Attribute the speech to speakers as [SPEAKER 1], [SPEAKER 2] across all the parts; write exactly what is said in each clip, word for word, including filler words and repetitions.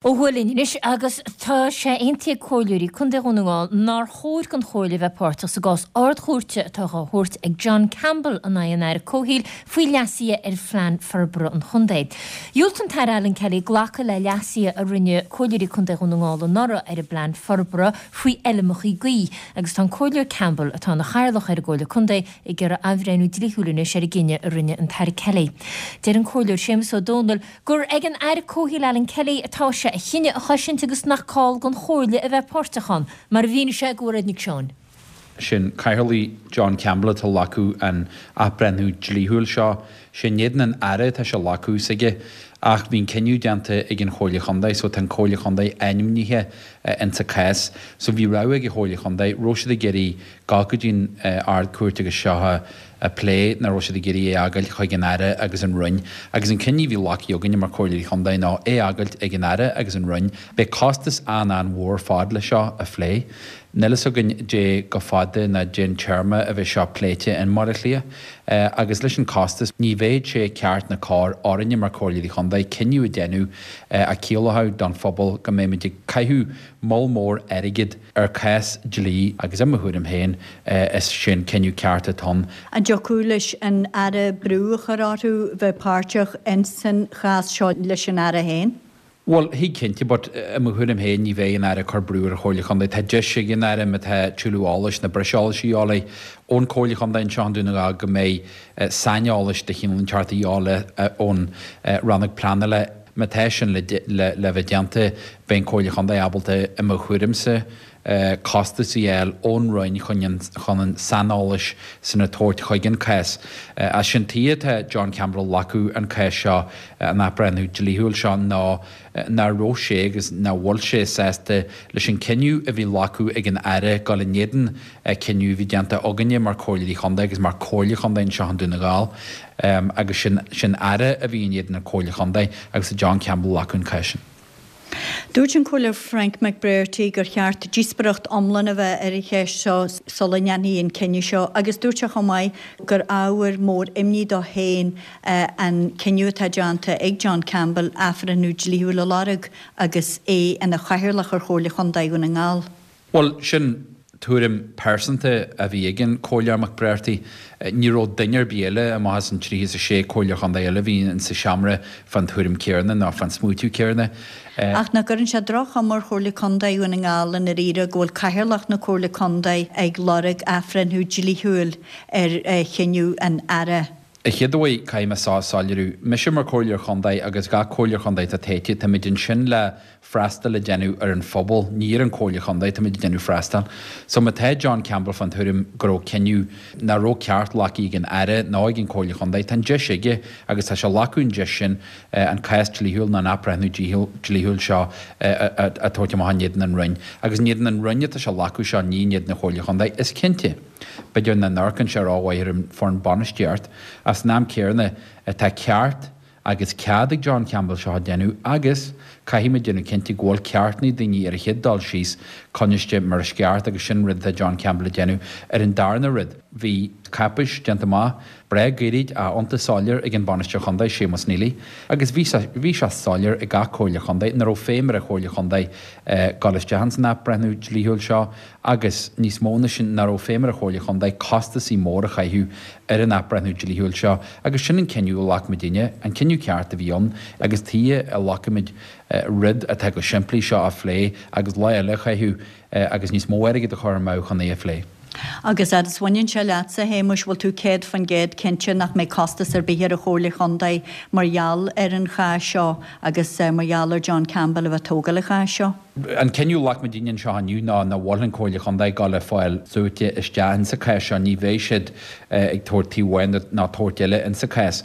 [SPEAKER 1] Ó thuaidh linn anois agus tá sé aontaithe ag Comhairleoirí Contae Dhún na nGall nár chóir don Chomhairle bheith páirteach sa gcás Ard-Chúirte atá á thabhairt ag John Campbell in aghaidh an Aire Comhshaoil faoi leasuithe ar phlean forbartha an chontae. Dhiúltaigh an tAire Alan Kelly glacadh le leasuithe a rinne Comhairleoirí Contae Dhún na nGall anuraidh ar an bplean forbartha faoi fheilmeacha gaoithe agus tá an Comhairleoir Campbell, atá ina chathaoirleach ar an gComhairle Contae, ag iarraidh athbhreithniú dlíthiúil anois ar an gcinneadh a rinne an tAire Kelly. Deir an Comhairleoir Séamus Ó Domhnaill gur ag an Aire Comhshaoil Alan Kelly atá sé a chinneadh a chosaint agus nach call don Chomhairle a bheith páirteach ann, mar a mhínigh sé do Mhairéad Nic Seáin.
[SPEAKER 2] Sin cathaoirleach John Campbell atá ag glacadh an athbhreithniú dlíthiúil seo. Sé in éadan an Aire atá sé ag glacadh s'aige ach bhí an cinneadh déanta ag an Chomhairle Chontae so tá an Comhairle Chontae ainmnithe insa cás. So bhí rogha ag an Chomhairle Chontae, raibh siad ag iarraidh gabháil go dtí an Ard-Chúirt agus seo a a phlé nó raibh siad ag iarraidh é a fhágáilt chuig an Aire agus an Roinn. Agus an cinneadh a bhí glactha againne mar Chomhairleoirí Chontae ná é a fhágáilt ag an Aire agus an Roinn. Beidh costas an-an-mhór fad le seo a phlé. Níl fhios againn dé chomh fada ná dén téarma a bheidh seo pléite in mBaile Átha Cliath. Agus leis an costas, ní bheadh sé ceart ná cóir orainne mar Chomhairleoirí Chontae cinneadh a déanamh a chiallódh don phobal go mbeimid ag caitheamh moll mór airgid ar chás dlí agus i mo thuairim féin is sé an cinneadh ceart atá ann.
[SPEAKER 3] An dtiocfadh leis an Aire brú a chur orthu bheith páirteach ins an chás seo leis an Aire féin?
[SPEAKER 2] Bhuel, thig cinnte, but i mo thuairim féin ní bheidh an Aire ag cur brú ar an Chomhairle Chontae. Tá deis ag an Aire má tá tuilleadh eolais nó breis eolais a dhíobháil ón Chomhairle Chontae anseo i nDún na nGall go mbeidh saineolais de chineál inteacht a dhíobháil ón Rannóg Pleanála. Má tá sin le le bheith déanta, beidh an Chomhairle Chontae ábalta, i mo thuairimse, costas a fháil ón Roinn chun an saineolais san a tabhairt chuig an cás. As sin tuige atá John Campbell ag glacadh an cás seo, an athbhreithniú dlíthiúil seo, ná nach raibh sé agus nach bhfuil sé sásta leis an cinneadh a bhí glacadh ag an Aire dul in éadan cinneadh a bhí déanta againne mar Chomhairleoirí Chontae agus mar Chomhairle Chontae anseo i nDún na nGall. Agus sin sin Aire a bhí in éadan an Chomhairle Chontae agus tá John Campbell ag glacadh an cás sin.
[SPEAKER 3] Dúirt an Comhairleoir Frank McBrearty gur cheart díospóireacht iomlán a bheith ar an cheist seo sula ndéanfaí an cinneadh seo agus dúirt sé chomh maith gur ábhar mór imní dó féin an cinneadh atá déanta ag John Campbell athbhreithniú dlíthiúil a lorg agus é ina chathaoirleach ar Chomhairle Chontae Dhún na nGall.
[SPEAKER 2] Bhuel, sin tuairim pearsanta a bhí ag an Comhairleoir McBrearty. Ní raibh duine ar bith eile amach as an tríocha is a sé Comhairleoir Chontae eile a bhí insa seomra fán tuairim céarna ná fán smaoitiú céarna.
[SPEAKER 3] Ach nach gcuireann sé droch-chuma ar Chomhairle Contae Dhún na nGall i ndáiríre go bhfuil Cathaoirleach na Comhairle Contae ag lorg athbhreithniú dlíthiúil ar chinneadh an Aire?
[SPEAKER 2] A chéaduair, caithfidh mé seo a soiléiriú. Mise mar Chomhairleoir Chontae agus gach Comhairleoir Chontae atá toighte, táimid ansin le freastal a dhéanamh ar an phobal, ní ar an Chomhairle Chontae táimid ag déanamh freastal. So má tá John Campbell fán tuairim go raibh cinneadh nach raibh ceart glactha ag an Aire ná ag an Chomhairle Chontae, tá an deis aige agus tá sé ag glacadh an deis sin an cás dlíthiúil nó an athbhreithniú dlíthiúil seo a thabhairt amach in éadan an Roinn. Agus in éadan an Roinn atá sé ag glacadh seo, ní in éadan na Comhairle Chontae, is cinnte. B'fhéidir nach n-amharcann sé rómhaith ar an foireann bainistíocht, ach san am céanna tá ceart agus cead ag John Campbell seo a dhéanamh agus caithfidh muid déanamh cinnte go bhfuil ceartanna daoine ar a chéad dul síos coinniste mar is ceart agus sin rud atá John Campbell a déanamh. Ar an darna rud, bhí cáipéis déanta amach breá gairid ach iontach soiléir ag an Bainisteoir Chontae, Séamus Neely, agus bhí bhí sé soiléir ag gach Comhairle Chontae nach raibh feidhm ar an Chomhairle Chontae dul isteach ins an athbhreithniú dlíthiúil seo agus níos mó na sin nach raibh feidhm ar an Chomhairle Chontae costasaí mór a chaitheamh ar an athbhreithniú dlíthiúil seo agus sin an cinneadh a ghlac muidinne, an cinneadh ceart a bhí ann agus tuige a nglacfaimid rud atá chomh simplí seo a phlé agus lá eile a chaitheamh agus níos mó airgid a chur amú chun é a phlé.
[SPEAKER 3] Agus fhad is bhaineann sé leatsa, a Shéamuis, bhfuil tú céad faoin gcéad cinnte nach mbeidh costas ar bith ar an Chomhairle Chontae mar gheall ar an chás seo agus mar gheall ar John Campbell a bheith ag tógáil an cháis seo?
[SPEAKER 2] An cinneadh a ghlac muidinne anseo inniu ná nach bhfuil an Chomhairle Chontae ag dul a fáil súite isteach insa chás seo, ní bheidh siad ag tabhairt taobh amháin ná tabhairt eile insa chás.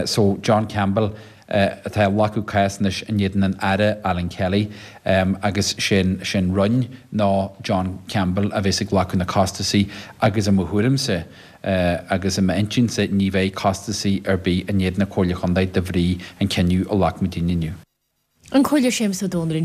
[SPEAKER 2] So John Campbell atá ag glacadh cás anois in éadan an Aire Alan Kelly agus sé'n sé'n Roinn ná John Campbell a bheas ag glacadh na costasaí agus i mo thuairimse agus i m'intinnse ní bheidh costasaí ar bith in éadan na Comhairle Chontae de bhrí an cinneadh a ghlac muidinne inniu.
[SPEAKER 1] An Comhairleoir Séamus Ó Domhnaill ansin.